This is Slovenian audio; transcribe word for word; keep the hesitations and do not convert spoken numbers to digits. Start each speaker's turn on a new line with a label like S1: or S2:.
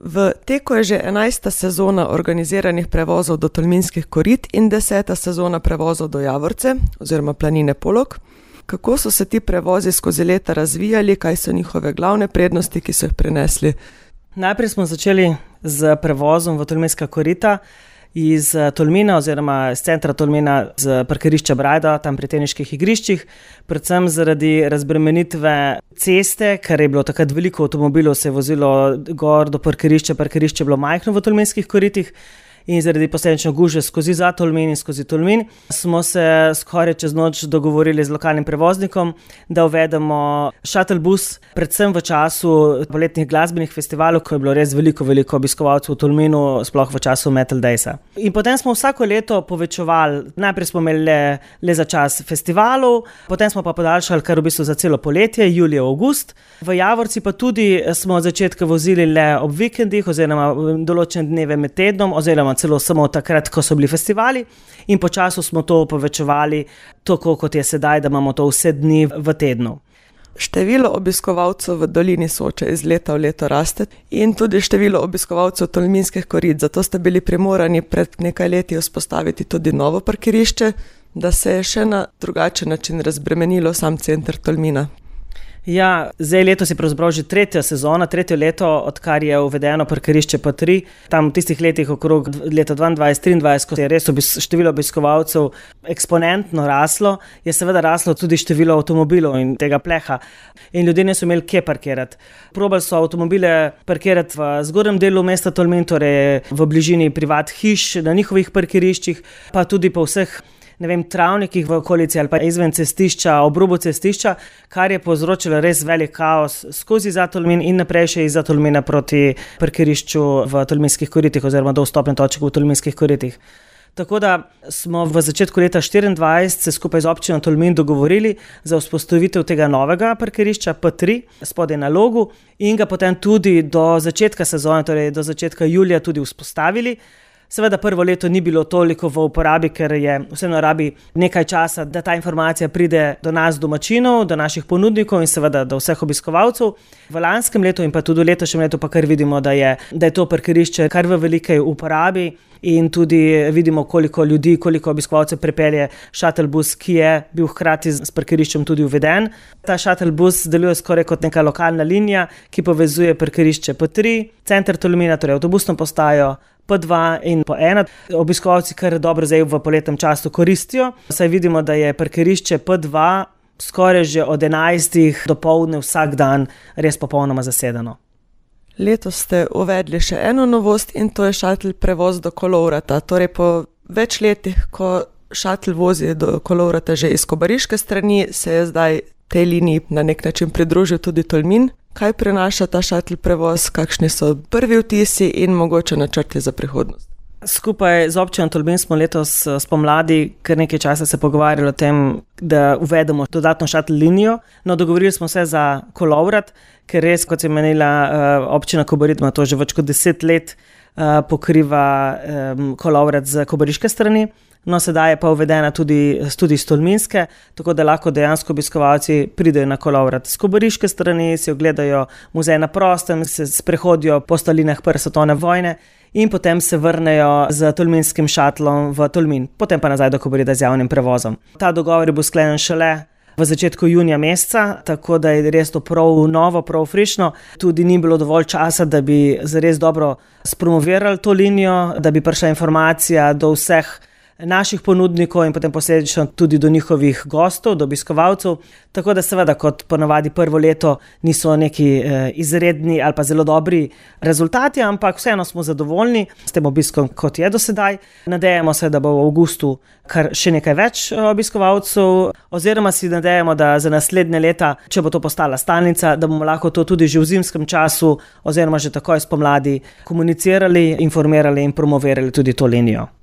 S1: V teku je že enajsta sezona organiziranih prevozov do Tolminskih korit in deseta sezona prevozov do Javorce oziroma planine Polog. Kako so se ti prevozi skozi leta razvijali, kaj so njihove glavne prednosti, ki so jih prinesli?
S2: Najprej smo začeli z prevozom v Tolminska korita iz Tolmina oziroma iz centra Tolmina z parkirišča Brajda, tam pri teniških igriščih, predvsem zaradi razbremenitve ceste, ker je bilo takrat veliko avtomobilov, se je vozilo gor do parkirišča, parkirišče je bilo majhno v Tolminskih koritih in zaradi posledično gužve skozi za Tolmin in skozi Tolmin smo se skoraj čez noč dogovorili z lokalnim prevoznikom, da uvedemo shuttle bus, predvsem v času poletnih glasbenih festivalov, ko je bilo res veliko, veliko obiskovalcev v Tolminu, sploh v času Metal Daysa. In potem smo vsako leto povečevali, najprej smo imeli le, le za čas festivalov, potem smo pa podaljšali kar v bistvu za celo poletje, julij, avgust. V Javorci pa tudi smo od začetka vozili le ob vikendih oziroma določene dneve med tednom oziroma celo samo takrat, ko so bili festivali, in počasi smo to povečevali, tako kot je sedaj, da imamo to vse dni v tednu.
S1: Število obiskovalcev v dolini Soče iz leta v leto raste in tudi število obiskovalcev Tolminskih korit, zato ste bili primorani pred nekaj leti vzpostaviti tudi novo parkirišče, da se je še na drugačen način razbremenilo sam center Tolmina.
S2: Ja, zdaj letos je pravzaprav že tretja sezona, tretje leto, odkar je uvedeno parkirišče P tri. Tam v tistih letih okrog leta dvaindvajset triindvajset, ko je res obis, število obiskovalcev eksponentno raslo, je seveda raslo tudi število avtomobilov in tega pleha. In ljudje niso imeli kje parkirati. Probali so avtomobile parkirati v zgornjem delu mesta Tolmin, torej v bližini privat hiš, na njihovih parkiriščih, pa tudi po vseh ne vem, travnikih v okolici ali pa izven cestišča, ob robu cestišča, kar je povzročilo res velik kaos skozi za Tolmin in naprej še iz za Tolmina proti parkirišču v Tolminskih koritih oziroma do vstopne točke v Tolminskih koritih. Tako da smo v začetku leta štiriindvajset se skupaj z občino Tolmin dogovorili za vzpostavitev tega novega parkirišča P tri spodaj na Logu in ga potem tudi do začetka sezone, torej do začetka julija tudi vzpostavili. Seveda prvo leto ni bilo toliko v uporabi, ker je vseeno rabi nekaj časa, da ta informacija pride do nas domačinov, do naših ponudnikov in seveda do vseh obiskovalcev. V lanskem letu in pa tudi v letošnjem letu pa kar vidimo, da je, da je to parkirišče kar v veliki uporabi in tudi vidimo, koliko ljudi, koliko obiskovalcev prepelje shuttle bus, ki je bil hkrati s parkiriščem tudi uveden. Ta shuttle bus deluje skoraj kot neka lokalna linija, ki povezuje parkirišče P tri, center Tolmina, torej avtobusno postajo, P dva in po ena. Obiskovalci kar dobro zdaj v poletnem času koristijo, saj vidimo, da je parkirišče P dva skoraj že od enajstih do poldne vsak dan res popolnoma zasedeno.
S1: Letos ste uvedli še eno novost in to je shuttle prevoz do Kolovrata. Torej po več letih, ko shuttle vozi do Kolovrata že iz kobariške strani, se je zdaj tej liniji na nek način pridružil tudi Tolmin. Kaj prinaša ta shuttle prevoz, kakšni so prvi vtisi in mogoče načrti za prihodnost?
S2: Skupaj z občino Tolmin smo letos spomladi kar nekaj časa se pogovarjali o tem, da uvedemo dodatno shuttle linijo. No, dogovorili smo se za Kolovrat, ker res, kot je menila občina Kobarid, ima to že več kot deset let pokriva Kolovrat z kobariške strani. No, sedaj je pa uvedena tudi, tudi iz Tolminske, tako da lahko dejansko obiskovalci pridejo na Kolovrat z kobariške strani, si ogledajo muzej na prostem, se sprehodijo po stalinah prve svetovne vojne in potem se vrnejo z tolminskim šatlom v Tolmin, potem pa nazaj do Kobarida z javnim prevozom. Ta dogovor bo sklenjen šele v začetku junija meseca, tako da je res to prav novo, prav frišno. Tudi ni bilo dovolj časa, da bi zares dobro spromovirali to linijo, da bi prišla informacija do vseh naših ponudnikov in potem posledično tudi do njihovih gostov, do obiskovalcev. Tako da seveda, kot ponavadi prvo leto niso neki eh, izredni ali pa zelo dobri rezultati, ampak vseeno smo zadovoljni s tem obiskom, kot je do sedaj. Nadejamo se, da bo v avgustu kar še nekaj več obiskovalcev, oziroma si nadejamo, da za naslednje leta, če bo to postala stalnica, da bomo lahko to tudi že v zimskem času oziroma že takoj spomladi komunicirali, informirali in promovirali tudi to linijo.